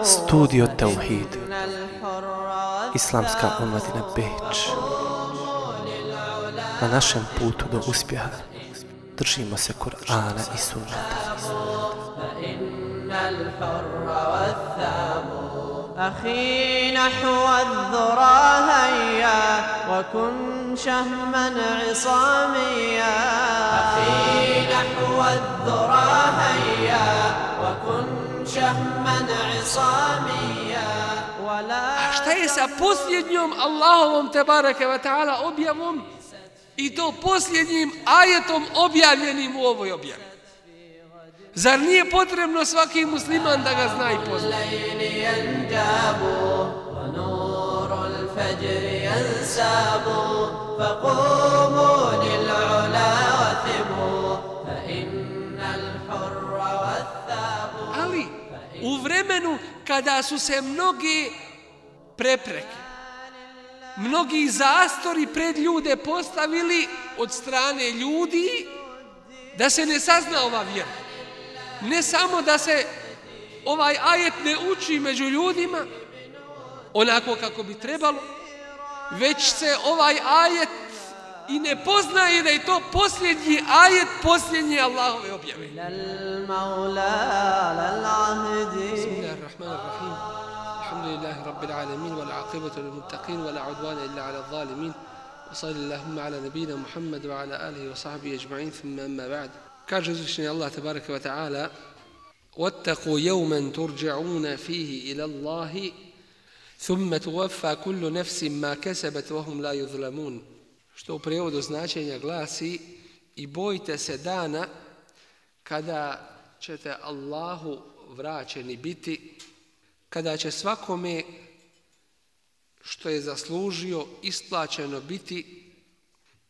Studio Tauhid, Islamska omladina Beč. Na našem putu do uspjeha držimo se Kur'ana i Sunneta. أخي نحو الذرى هيا وكن شهما عصاميا أخي نحو الذرى هيا وكن شهما عصاميا A šta je sa posljednjom Allahovom tebareke ve ta'ala objavom i to posljednjim ajetom objavljenim u ovoj objavi? Zar nije potrebno svaki musliman da ga zna i pozna? Ali u vremenu kada su se mnogi prepreke, mnogi zastori pred ljude postavili od strane ljudi da se ne sazna ova vjera. Ne samo da se ovaj ajet ne uči među ljudima onako kako bi trebalo, već se ovaj ajet i ne poznaje da je to posljednji ajet posljednje Allahove objave. Bismillahirrahmanirrahim. Alhamdulillahi rabbil alamin wal aqibatu lil muttaqin wa la udwana illa ala adh-dhalimin. Wa sallallahu ala nabiyyina Muhammad wa ala alihi wa sahbihi ajma'in thumma amma ba'd. Kaže uzvišeni Allah tebareke ve ta'ala: وَاتَّقُوا يَوْمًا تُرْجَعُونَ فِيهِ إِلَى اللَّهِ ثُمَّ تُوَفَّى كُلُّ نَفْسٍ مَا كَسَبَتْ وَهُمْ لَا يُظْلَمُونَ. Što u prijevodu značenja glasi: i bojte se dana kada ćete Allahu vraćeni biti, kada će svakome što je zaslužio isplaćeno biti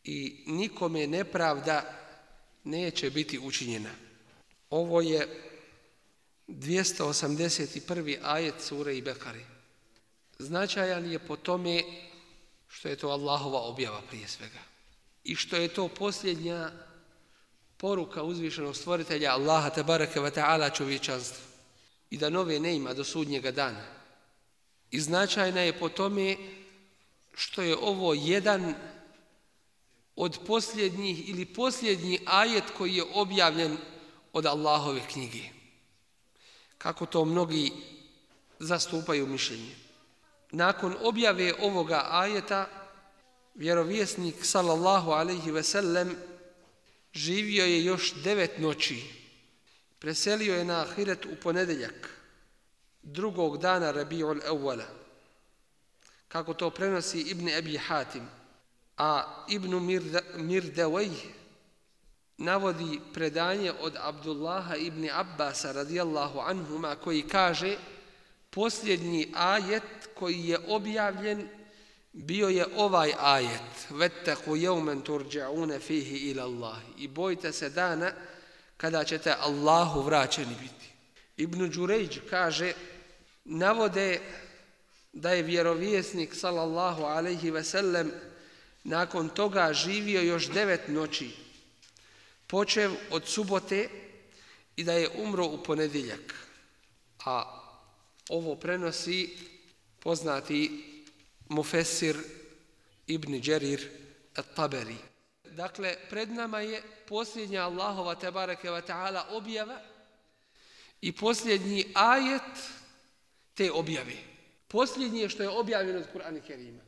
i nikome nepravda neće biti učinjena. Ovo je 281. ajet sure Bekare. Značajan je po tome što je to Allahova objava prije svega i što je to posljednja poruka uzvišenog stvoritelja Allaha tebareke ve ta'ala čovječanstvu i da nove ne ima do sudnjega dana. I značajna je po tome što je ovo jedan od posljednjih ili posljednji ajet koji je objavljen od Allahove knjige. Kako to mnogi zastupaju mišljenje. Nakon objave ovoga ajeta, vjerovjesnik sallallahu alejhi ve sellem živio je još 9 noći. Preselio je na ahiret u ponedjeljak, drugog dana Rabiul Awwala. Kako to prenosi Ibn Abi Hatim. A Ibn Mirdawayh navodi predanje od Abdullaha ibn Abbasa radijallahu anhuma koji kaže: posljednji ajet koji je objavljen bio je ovaj ajet: وَاتَّقُوا يَوْمًا تُرْجَعُونَ فِيهِ إِلَى اللَّهِ. I bojte se dana kada ćete Allahu vraćeni biti. Ibn Đurejđ kaže, navode da je vjerovjesnik sallallahu alejhi ve sellem nakon toga živio još 9 noći, počev od subote, i da je umro u ponedjeljak. A ovo prenosi poznati mufesir Ibn Đerir at-Taberi. Dakle, pred nama je posljednja Allahova tebareke ve ta'ala objava i posljednji ajet te objave. Posljednji je što je objavljeno od Kur'ana Kerima.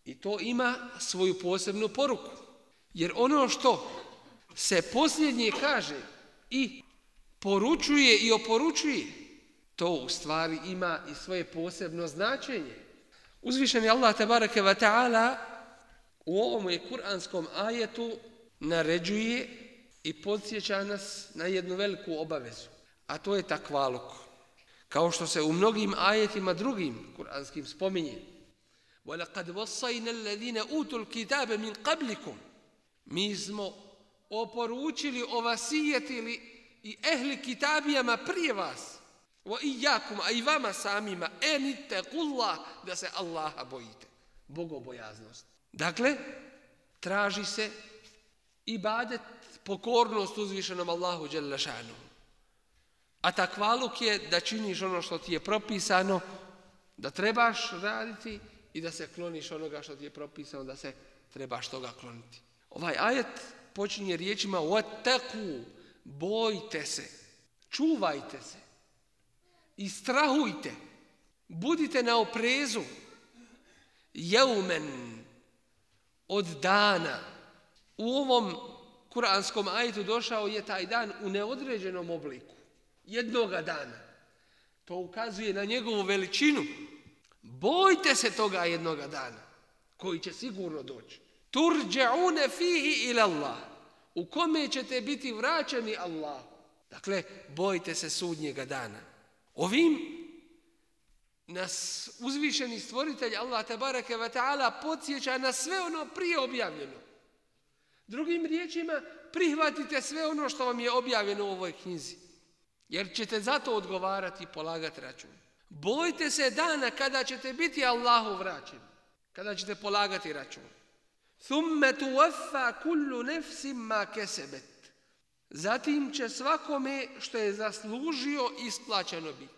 I to ima svoju posebnu poruku. Jer ono što se posljednje kaže i poručuje i oporučuje, to u stvari ima i svoje posebno značenje. Uzvišeni Allah tebareke ve ta'ala u ovom je kuranskom ajetu naređuje i podsjeća nas na jednu veliku obavezu, a to je takvaluk. Kao što se u mnogim ajetima drugim kuranskim spominje: وَلَقَدْ وَصَّيْنَا الَّذِينَ أُوتُوا الْكِتَابَ مِنْ قَبْلِكُمْ. Mi smo oporučili, ovasijetili i ehli kitabijama prije vas, وَإِيَّاكُمْ, a i vama samima, enittaqullah, da se Allaha bojite. Bogobojaznost. Dakle, traži se ibadet pokornost uzvišenom Allahu dželle šanuhu. A takvaluk je da činiš ono što ti je propisano, da trebaš raditi i da se kloniš onoga što ti je propisano, da se trebaš toga kloniti. Ovaj ajet počinje riječima وَتَّقُوا, bojte se, čuvajte se i strahujte, budite na oprezu, jeumen, od dana. U ovom kuranskom ajetu došao je taj dan u neodređenom obliku, jednoga dana. To ukazuje na njegovu veličinu. Bojte se toga jednoga dana, koji će sigurno doći. Turđa'une fihi ila Allah, u kome ćete biti vraćani Allahu. Dakle, bojte se sudnjega dana. Ovim nas uzvišeni stvoritelj Allah tebareke ve ta'ala podsjeća na sve ono prije objavljeno. Drugim riječima, prihvatite sve ono što vam je objavljeno u ovoj knjizi, jer ćete za to odgovarati i polagati račun. Bojte se dana kada ćete biti Allahu vraćeni, kada ćete polagati račun. Thumme tuwaffa kullu nefsim ma kesebet. Zatim će svakome što je zaslužio isplaćeno biti.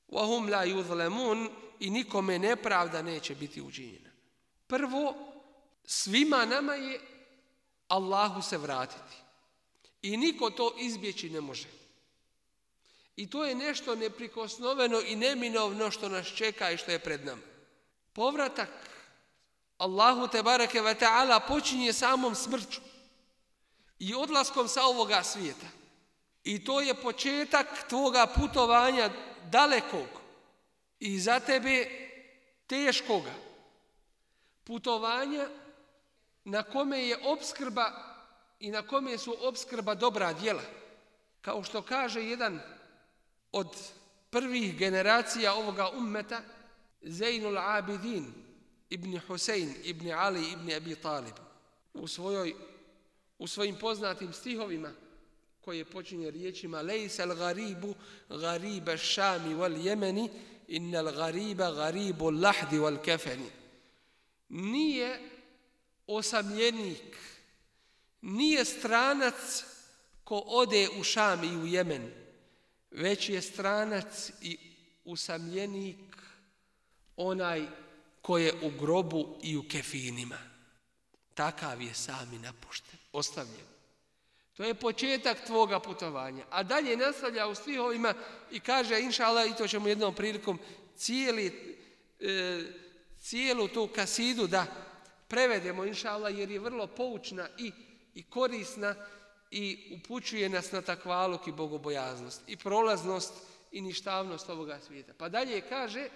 Wahum la yuzlamun, i nikome nepravda neće biti učinjena. Prvo, svima nama je Allahu se vratiti. I niko to izbjeći ne može. I to je nešto neprikosnoveno i neminovno što nas čeka i što je pred nama. Povratak Allahu tebareke ve ta'ala počinje samom smrću i odlaskom sa ovoga svijeta. I to je početak tvoga putovanja dalekog i za tebe teškoga. Putovanja na kome je opskrba i na kome su opskrba dobra djela. Kao što kaže jedan od prvih generacija ovoga ummeta, Zainul Abidin ibn Husein ibn Ali ibn Abi Talib, u svojim poznatim stihovima koje počinje riječima Lejsa al-garibu gariba šami wal jemeni innal gariba garibu lahdi wal kefeni. Nije osamljenik, nije stranac ko ode u Šam i u Jemen, već je stranac i usamljenik onaj ko je u grobu i u kefinima. Takav je sami napušten, ostavljen. To je početak tvoga putovanja. A dalje nastavlja u stihovima i kaže, inša Allah, i to ćemo jednom prilikom cijelu tu kasidu da prevedemo, inša Allah, jer je vrlo poučna i korisna i upućuje nas na takvaluk i bogobojaznost i prolaznost i ništavnost ovoga svijeta. Pa dalje kaže,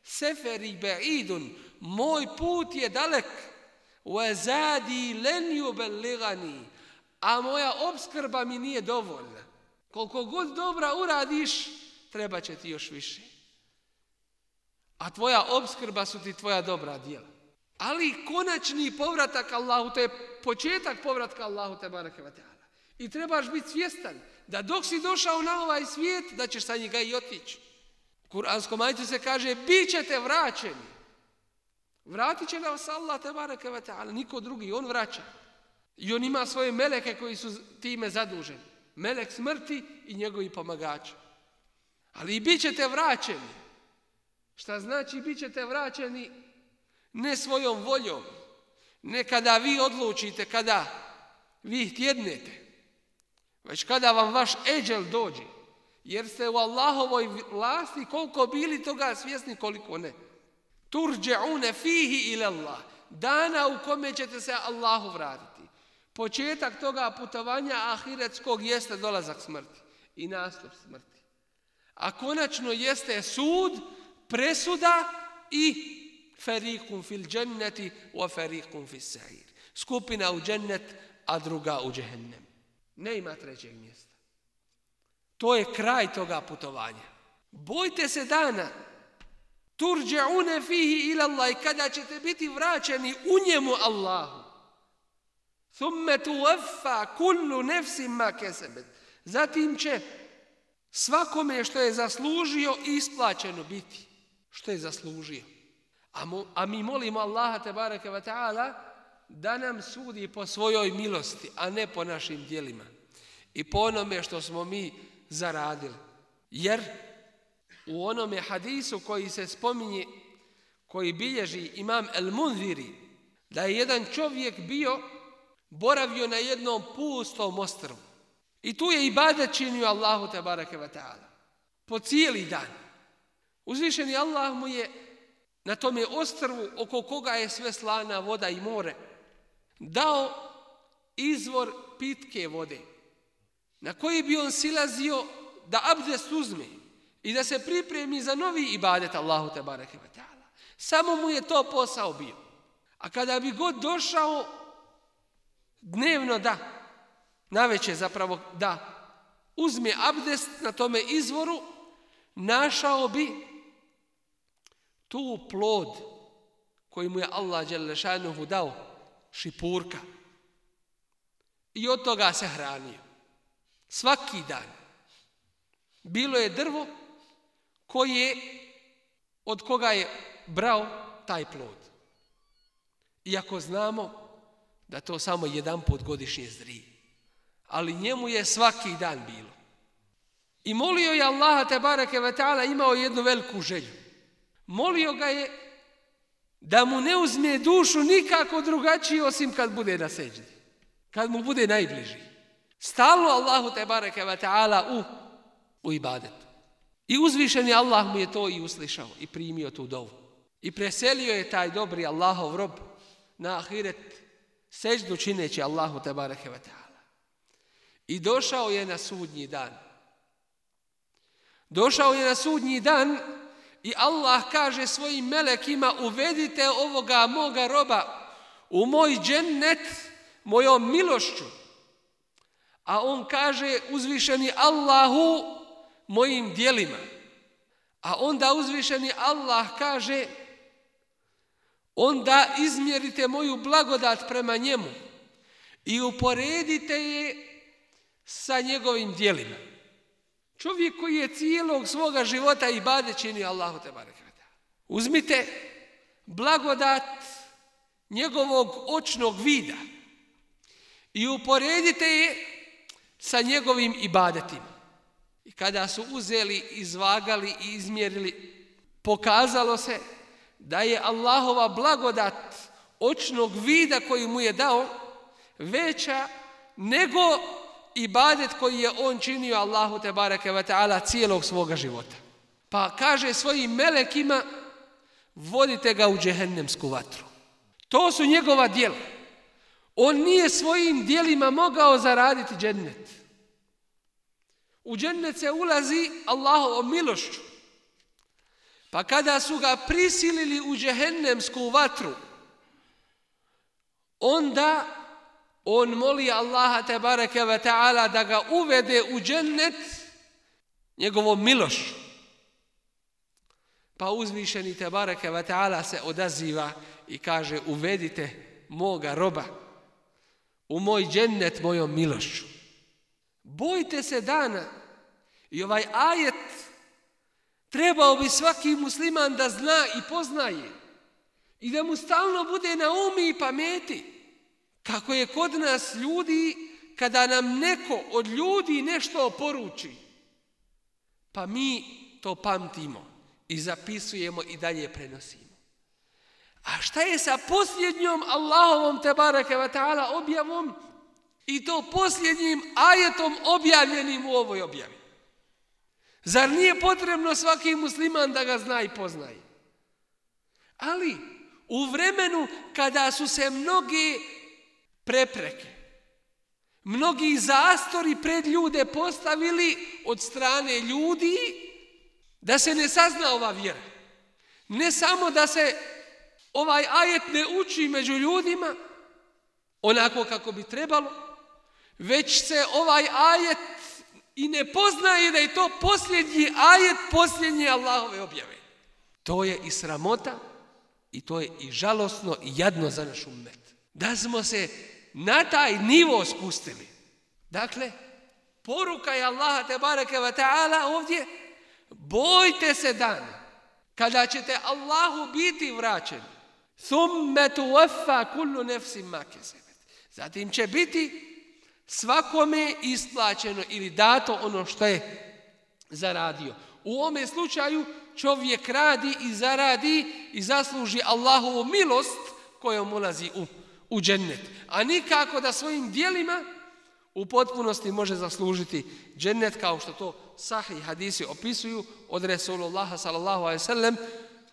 seferi ba'idun, moj put je dalek, wa zadi len yuballigani, a moja opskrba mi nije dovoljna. Koliko god dobra uradiš, treba će ti još više. A tvoja opskrba su ti tvoja dobra djela. Ali konačni povratak Allahu, to je početak povratka Allahu tebareke ve ta'ala. I trebaš biti svjestan da dok si došao na ovaj svijet, da ćeš sa njega i otići. U kuranskom ajetu se kaže, bit ćete vraćeni. Vratit će nas Allah tebareke ve ta'ala, niko drugi, on vraća. I on ima svoje meleke koji su time zaduženi. Melek smrti i njegovi pomagači. Ali i bit ćete vraćeni. Šta znači bit ćete vraćeni? Ne svojom voljom. Ne kada vi odlučite, kada vi htjednete. Već kada vam vaš eđel dođe. Jer ste u Allahovoj vlasti koliko bili toga svjesni, koliko ne. Turđa'une fihi ila Allah. Dana u kome ćete se Allahu vratiti. Početak toga putovanja ahiretskog jeste dolazak smrti i nastup smrti. A konačno jeste sud, presuda i fariqun fil dženneti wa fariqun fis sa'ir. Skupina u džennet, a druga u džehennem. Ne ima trećeg mjesta. To je kraj toga putovanja. Bojte se dana. Turđa'une fihi ila Allah, i kada ćete biti vraćeni u njemu Allahu. Thumme tuwaffa kullu nefsim ma kesebet. Zatim će svakome što je zaslužio isplaćeno biti. Što je zaslužio. A mi molimo Allaha tebareke ve ta'ala da nam sudi po svojoj milosti, a ne po našim djelima. i po onome što smo mi zaradili. Jer u onome hadisu koji se spominje, koji bilježi imam El-Munziri, da je jedan čovjek boravio na jednom pustom ostrvu. I tu je ibadet činio Allahu tebareke ve ta'ala. Po cijeli dan. Uzvišeni Allah mu je na tome ostrvu, oko koga je sve slana voda i more, dao izvor pitke vode, na koji bi on silazio da abdest uzme i da se pripremi za novi ibadet Allahu tebareke ve ta'ala. Samo mu je to posao bio. A kada bi god došao dnevno navečer zapravo da uzme abdest na tome izvoru, našao bi tu plod koji mu je Allah dželle šanuhu dao, šipurka. I od toga se hranio. Svaki dan. Bilo je drvo od koga je brao taj plod. Iako znamo da to samo jedan put godišnje zrije. Ali njemu je svaki dan bilo. I molio je Allaha tebareke ve ta'ala, imao jednu veliku želju. Molio ga je da mu ne uzme dušu nikako drugačiji osim kad bude na seđdi. Kad mu bude najbliži. Stalno Allahu tebareke ve ta'ala u ibadetu. I uzvišeni Allah mu je to i uslišao i primio tu dovu. I preselio je taj dobri Allahov rob na ahiret seđdu čineći Allahu tebareke ve ta'ala. I došao je na sudnji dan. Došao je na sudnji dan i Allah kaže svojim melekima: uvedite ovoga moga roba u moj džennet mojom milošću. A on kaže uzvišeni Allahu mojim djelima. A onda uzvišeni Allah kaže: onda izmjerite moju blagodat prema njemu i uporedite je sa njegovim djelima. Čovjek koji je cijelog svoga života ibadet činio Allahu tebareke ve ta'ala. Uzmite blagodat njegovog očnog vida i uporedite je sa njegovim ibadetima. I kada su uzeli, izvagali i izmjerili, pokazalo se da je Allahova blagodat očnog vida koji mu je dao veća nego ibadet koji je on činio Allahu tebareke ve ta'ala cijelog svoga života. Pa kaže svojim melekima: vodite ga u džehennemsku vatru. To su njegova djela. On nije svojim djelima mogao zaraditi džennet. U džennet se ulazi Allahovom milošću. Pa kada su ga prisilili u džehennemsku vatru, onda on moli Allaha tebareke ve ta'ala da ga uvede u džennet njegovom milošću. Pa uzvišeni tebareke ve ta'ala se odaziva i kaže: uvedite moga roba u moj džennet mojom milošću. Bojte se dana. I ovaj ajet trebao bi svaki musliman da zna i poznaje i da mu stalno bude na umi i pameti. Kako je kod nas ljudi, kada nam neko od ljudi nešto poruči, pa mi to pamtimo i zapisujemo i dalje prenosimo. A šta je sa posljednjom Allahovom tebareke ve ta'ala objavom i to posljednjim ajetom objavljenim u ovoj objavi? Zar nije potrebno svaki musliman da ga zna i poznaje? Ali u vremenu kada su se mnogi prepreke, mnogi zastori pred ljude postavili od strane ljudi da se ne sazna ova vjera. Ne samo da se ovaj ajet ne uči među ljudima onako kako bi trebalo, već se ovaj ajet i ne poznaje da je to posljednji ajet posljednje Allahove objave. To je i sramota i to je i žalosno i jadno za naš ummet. Da smo se na taj nivo spustili. Dakle, poruka je Allaha tebareke ve ta'ala ovdje: bojte se dana kada ćete Allahu biti vraćeni. Thumme tuwaffa kullu nefsin ma kesebat. Zatim će biti svakome isplaćeno ili dato ono što je zaradio. U ovome slučaju čovjek radi i zaradi i zasluži Allahovu milost kojom ulazi u džennet. A nikako da svojim djelima u potpunosti može zaslužiti džennet, kao što to sahih hadisi opisuju od Resulullaha sallallahu alejhi ve sellem,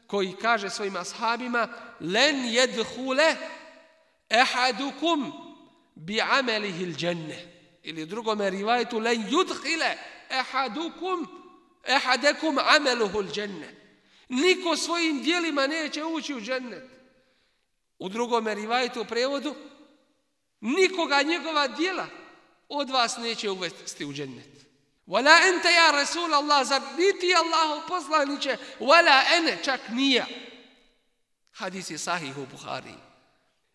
koji kaže svojim ashabima: "Len yadkhula ahadukum bi'amalihi al-jannah." Ili u drugom rivajetu: "Len yudkhila ahadakum amaluhu al-jannah." Niko svojim djelima neće ući u džennet. U drugom rivajetu u prevodu: "Nikoga njegova djela od vas neće uvesti u džennet." Wala ente ja Rasul Allah, zar niti Allahov poslaniće, wala ene, čak nija. Hadis je sahih u Buhari.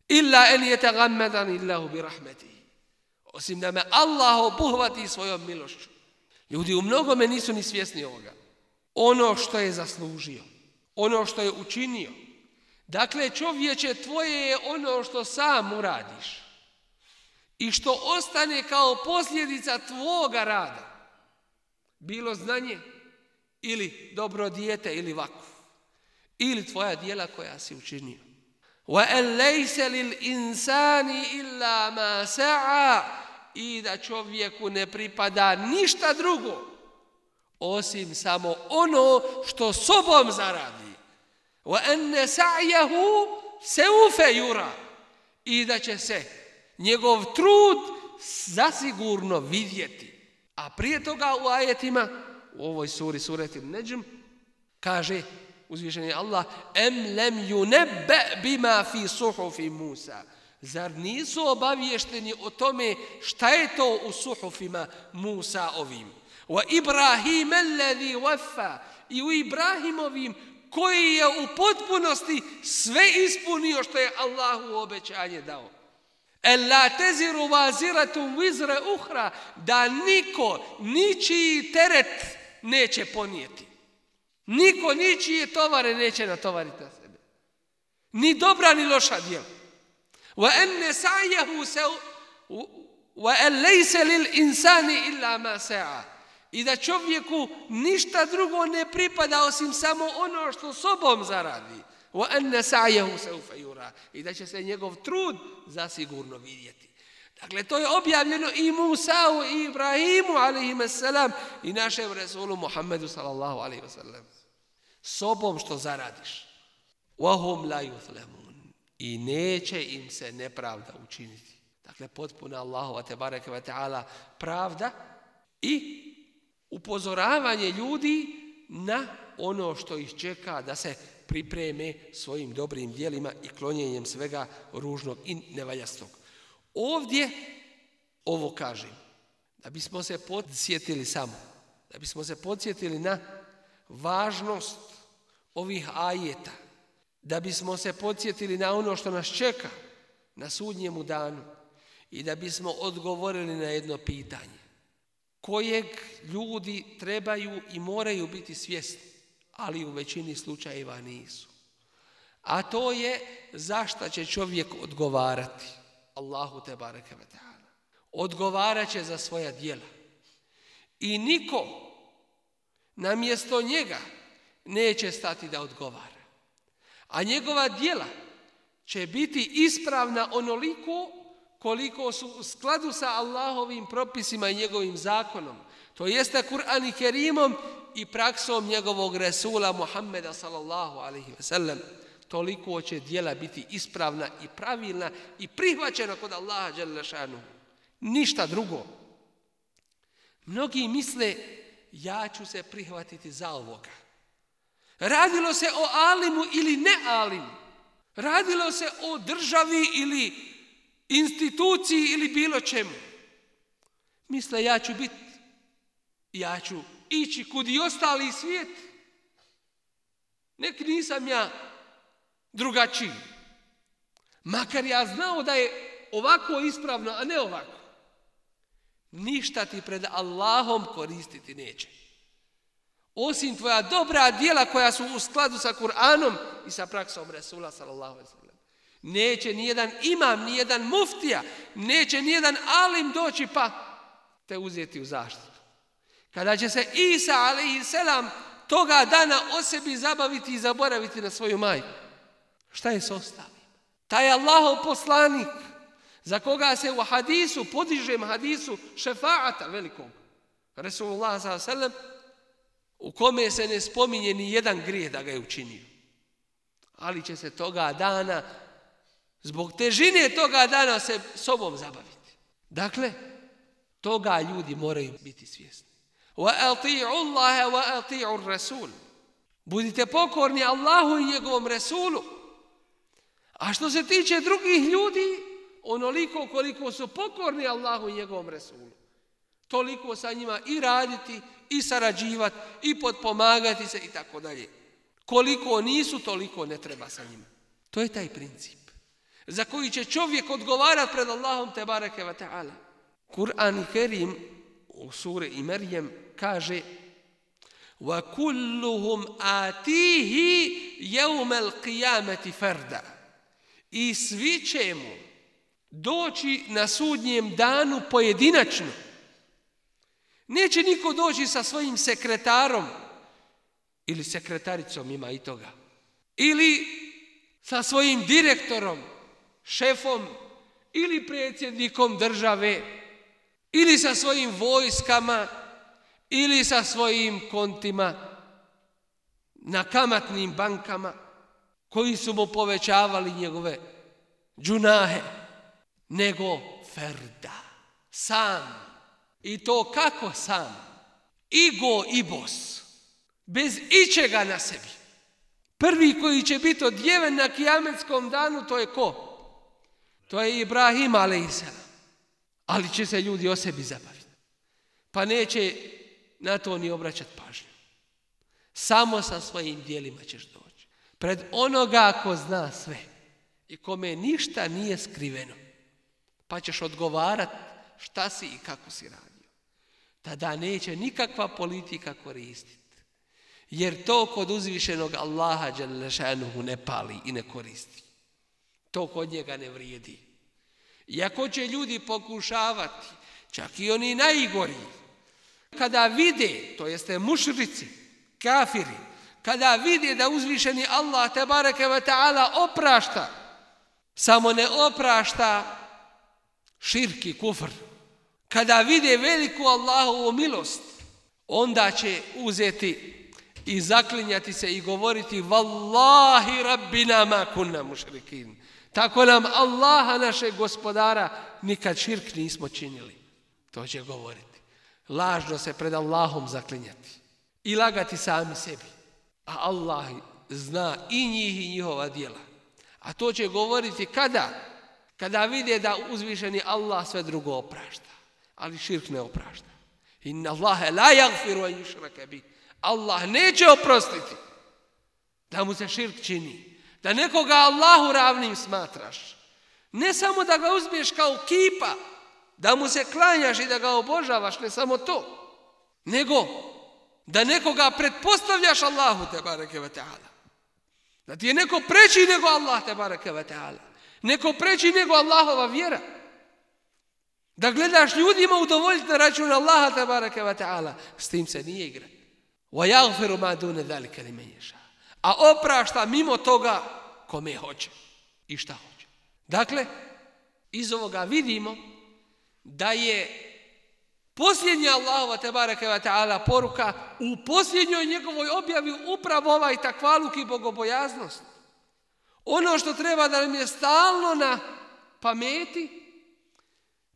Illa en yatagammadani Allahu bi rahmetihi. Osim da me Allah obuhvati svojom milošću. Ljudi u mnogome nisu ni svjesni ovoga. Ono što je zaslužio, ono što je učinio. Dakle, čovječe, tvoje je ono što sam uradiš i što ostane kao posljedica tvoga rada. Bilo znanje ili dobro dijete ili vakuf ili tvoja djela koja si učinio. وَأَنْ لَيْسَ لِلْإِنسَانِ إِلَّا مَا سَعَى, i da čovjeku ne pripada ništa drugo osim samo ono što sobom zaradi. وَأَنَّ سَعْيَهُ سَوْفَ يُرَى, i da će se njegov trud zasigurno vidjeti. A prije toga u ajetima, u ovoj suri, sureti Nedžm, kaže uzvišeni Allah: "Em lem yunabba bima fi suhufi Musa." Zar nisu obavješteni o tome šta je to u suhufima Musa ovim? Wa Ibrahim alladhi waffa, i u Ibrahimovim koji je u potpunosti sve ispunio što je Allahu obećanje dao. Ela teziru vaziratum vizre uhra, da niko ničiji teret neće ponijeti. Niko ničije tovare neće natovariti na sebe. Ni dobra ni loša djela. Wa enne sa'yahu wa an laysa lil insani illa ma sa'a, i da čovjeku ništa drugo ne pripada osim samo ono što sobom zaradi. وَأَنَّ سَعْيَهُ سَوْفَ يُرَى, i da će se njegov trud zasigurno vidjeti. Dakle, to je objavljeno i Musa'u i Ibrahimu alejhimusselam i našem Resulu Muhammedu sallallahu alejhi ve sellem. Sobom što zaradiš. وَهُمْ لَا يُظْلَمُونَ, i neće im se nepravda učiniti. Dakle, potpuna Allahova tebareke ve taala pravda i upozoravanje ljudi na ono što ih čeka, da se pripreme svojim dobrim djelima i klonjenjem svega ružnog i nevaljastog. Ovdje ovo kažem da bismo se podsjetili da bismo se podsjetili na važnost ovih ajeta, da bismo se podsjetili na ono što nas čeka na sudnjemu danu i da bismo odgovorili na jedno pitanje kojeg ljudi trebaju i moraju biti svjesni, ali u većini slučajeva nisu. A to je zašto će čovjek odgovarati Allahu tebareke ve taala. Odgovarat će za svoja djela. I niko namjesto njega neće stati da odgovara. A njegova djela će biti ispravna onoliko koliko su u skladu sa Allahovim propisima i njegovim zakonom. To jeste Kur'an i Kerimom i praksom njegovog Resula Muhammeda sallallahu alejhi ve sellem. Toliko će djela biti ispravna i pravilna i prihvaćena kod Allaha dželle šanuhu. Ništa drugo. Mnogi misle, ja ću se prihvatiti za ovoga. Radilo se o alimu ili ne alimu. Radilo se o državi ili instituciji ili bilo čemu. Misle, ja ću ići kud i ostali svijet. Nek nisam ja drugačiji. Makar ja znao da je ovako ispravno, a ne ovako. Ništa ti pred Allahom koristiti neće. Osim tvoja dobra djela koja su u skladu sa Kur'anom i sa praksom Resula sallallahu alejhi ve sellem. Neće nijedan imam, nijedan muftija, neće nijedan alim doći pa te uzeti u zaštitu. Kada će se Isa alejselam toga dana o sebi zabaviti i zaboraviti na svoju majku, šta je s ostalim? Taj Allahov poslanik za koga se u hadisu, podižem hadisu šefaata velikog, Resulullah sallallahu alejhi ve sellem, u kome se ne spominje ni jedan grijeh da ga je učinio. Ali će se toga dana, zbog težine toga dana se sobom zabaviti. Dakle, toga ljudi moraju biti svjesni. وَأَطِيعُ اللَّهَ وَأَطِيعُ الرَّسُولِ. Budite pokorni Allahu i njegovom Resulu. A što se tiče drugih ljudi, onoliko koliko su pokorni Allahu i njegovom Resulu, toliko sa njima i raditi, i sarađivati, i potpomagati se i tako dalje. Koliko nisu, toliko ne treba sa njima. To je taj princip za koji će čovjek odgovarati pred Allahom tebareke ve ta'ala. Kur'an Kerim u suri Merjem kaže: وَكُلُّهُمْ آتِيهِ يَوْمَ الْقِيَامَةِ فَرْدًا. I svi će mu doći na sudnjem danu pojedinačno. Neće niko doći sa svojim sekretarom ili sekretaricom, ima i toga, ili sa svojim direktorom, šefom ili predsjednikom države, ili sa svojim vojskama, ili sa svojim kontima na kamatnim bankama koji su mu povećavali njegove džunahe, nego ferda, sam. I to kako sam? Igo i bos, bez ičega na sebi. Prvi koji će biti odjeven na kijametskom danu, to je ko? To je Ibrahim alejselam. Ali će se ljudi o sebi zabaviti. Pa neće na to ni obraćati pažnju. Samo sa svojim djelima ćeš doći pred onoga ko zna sve i kome ništa nije skriveno. Pa ćeš odgovarati šta si i kako si radio. Tada neće nikakva politika koristiti. Jer to kod uzvišenog Allaha dželle šanuhu ne pali i ne koristi. To kod njega ne vrijedi. Iako će ljudi pokušavati, čak i oni najgori, kada vide, to jeste mušrici, kafiri, kada vide da uzvišeni Allah tebareke ve ta'ala oprašta, samo ne oprašta širk i kufr. Kada vide veliku Allahovu milost, onda će uzeti i zaklinjati se i govoriti: Wallahi rabbina ma kunna mušrikin. Tako nam Allaha, našeg gospodara, nikad širk nismo činili. To će govoriti. Lažno se pred Allahom zaklinjati i lagati sami sebi. A Allah zna i njih i njihova djela. A to će govoriti kada? Kada vide da uzvišeni Allah sve drugo oprašta, ali širk ne oprašta. Inna Allahe la yaghfiru an yushraka bih. Allah neće oprostiti da mu se širk čini, da nekoga Allahu ravnim smatraš. Ne samo da ga uzmeš kao kipa, da mu se klanjaš i da ga obožavaš, ne samo to, nego da nekoga pretpostavljaš Allahu tebareke ve ta'ala. Da ti je neko preći nego Allah tebareke ve ta'ala. Neko preći nego Allahova vjera. Da gledaš ljudima udovoljiti na račun Allaha tebareke ve ta'ala. S tim se nije igra. وَيَغْفِرُ مَا دُونَ ذَلِكَ لِمَنْ يَشَاءُ. A oprašta mimo toga kome hoće i šta hoće. Dakle, iz ovoga vidimo da je posljednja Allahova tebareke ve ta'ala poruka u posljednjoj njegovoj objavi upravo ovaj takvaluk i bogobojaznost. Ono što treba da nam je stalno na pameti,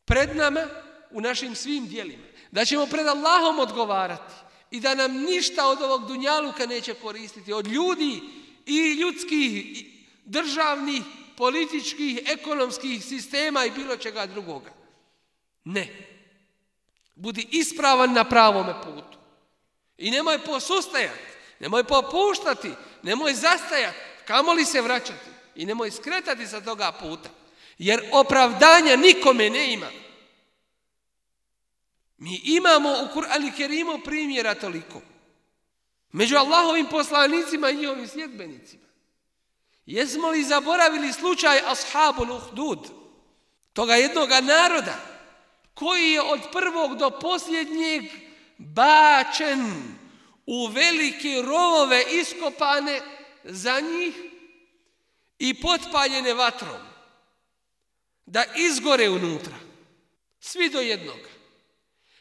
pred nama, u našim svim djelima. Da ćemo pred Allahom odgovarati i da nam ništa od ovog dunjaluka neće koristiti, od ljudi i ljudskih, državnih, političkih, ekonomskih sistema i bilo čega drugoga. Ne. Budi ispravan na pravome putu. I nemoj posustajati, nemoj popuštati, nemoj zastajati, kamoli se vraćati i nemoj skretati sa toga puta. Jer opravdanja nikome ne ima. Mi imamo u Kur'anu Kerimu primjera toliko. Među Allahovim poslanicima i njihovim sljedbenicima. Jesmo li zaboravili slučaj Ashabul Uhdud, toga jednoga naroda, koji je od prvog do posljednjeg bačen u velike rovove iskopane za njih i potpaljene vatrom, da izgore unutra, svi do jednog.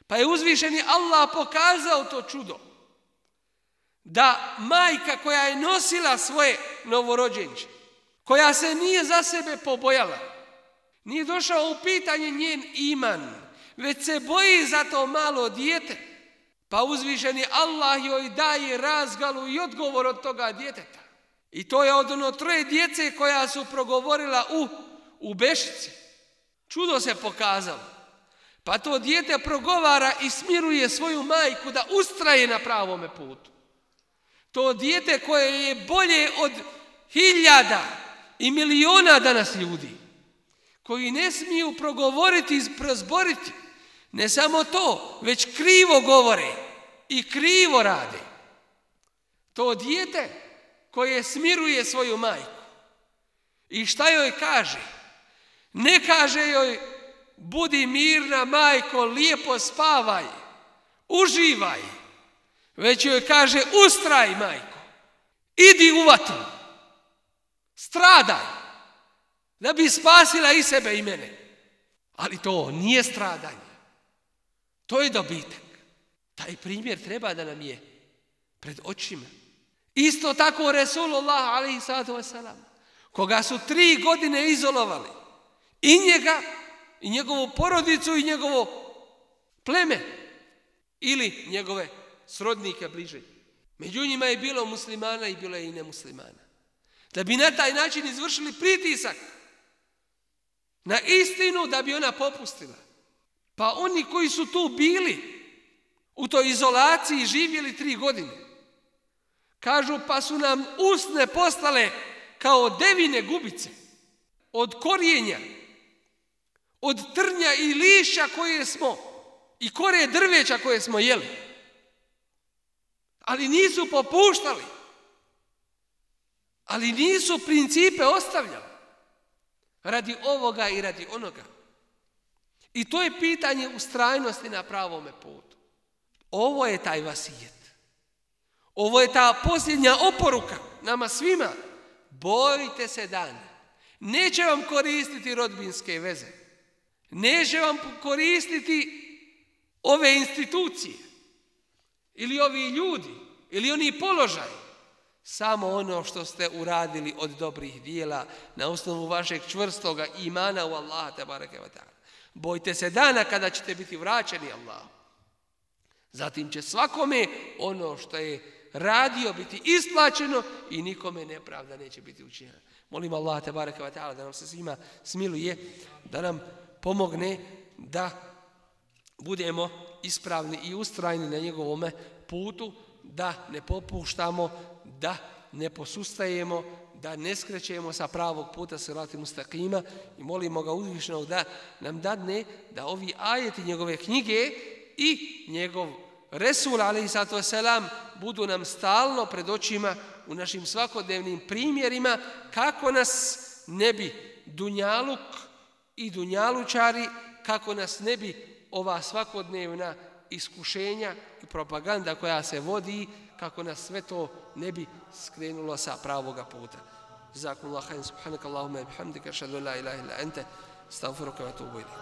Pa je uzvišeni Allah pokazao to čudo, da majka koja je nosila svoje novorođenče, koja se nije za sebe pobojala, nije došao u pitanje njen iman, već se boji za to malo dijete, pa uzvišeni Allah joj daje razgalu i odgovor od toga djeteta. I to je od ono 3 djece koja su progovorila u Bešici. Čudo se pokazalo. Pa to dijete progovara i smiruje svoju majku da ustraje na pravome putu. To dijete koje je bolje od 1000 i miliona danas ljudi, koji ne smiju progovoriti i prozboriti. Ne samo to, već krivo govore i krivo rade. To dijete koje smiruje svoju majku. I šta joj kaže? Ne kaže joj budi mirna majko, lijepo spavaj, uživaj. Već joj kaže ustraj majko, idi u vatru, stradaj, da bi spasila i sebe i mene. Ali to nije stradanje. To je dobitak. Taj primjer treba da nam je pred očima. Isto tako Resulullah alejhi salatu vesselam, koga su 3 godine izolovali, i njega, i njegovu porodicu, i njegovo pleme, ili njegove srodnike bliže. Među njima je bilo muslimana i bilo je i nemuslimana. Da bi na taj način izvršili pritisak na istinu, da bi ona popustila. Pa oni koji su tu bili u toj izolaciji živjeli 3 godine, kažu pa su nam usne postale kao devine gubice, od korijenja, od trnja i lišća koje smo, i kore drveća koje smo jeli. Ali nisu popuštali. Ali nisu principe ostavljali. Radi ovoga i radi onoga. I to je pitanje ustrajnosti na pravome putu. Ovo je taj vasijet. Ovo je ta posljednja oporuka nama svima. Bojite se dana. Neće vam koristiti rodbinske veze. Neće vam koristiti ove institucije. Ili ovi ljudi. Ili oni položaj. Samo ono što ste uradili od dobrih dijela na osnovu vašeg čvrstoga imana u Allaha tebareke ve taala. Bojte se dana kada ćete biti vraćeni Allahu. Zatim će svakome ono što je radio biti isplaćeno i nikome nepravda neće biti učinjena. Molim Allaha tebareke ve taala da nam se svima smiluje, da nam pomogne da budemo ispravni i ustrajni na njegovome putu, da ne popuštamo, da ne posustajemo, da ne skrećemo sa pravog puta sirati mustaqima, i molimo ga uzvišenog da nam dadne da ovi ajeti njegove knjige i njegov Resul alejhi salatu vesselam budu nam stalno pred očima u našim svakodnevnim primjerima, kako nas ne bi dunjaluk i dunjalučari, kako nas ne bi ova svakodnevna iskušenja i propaganda koja se vodi, kako nas sve to ne bi skrenulo sa pravoga puta. Jazakumullahu khairan, subhanakallahumma wa bihamdika, ashhadu an la ilaha illa anta, astaghfiruka wa atubu ilayk.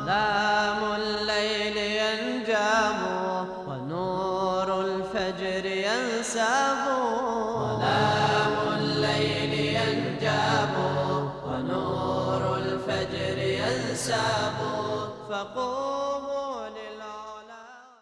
Zalamul layli yanjamu wa nurul fajri yansabu. Zalamul layli yanjamu wa nurul fajri yansabu. فقل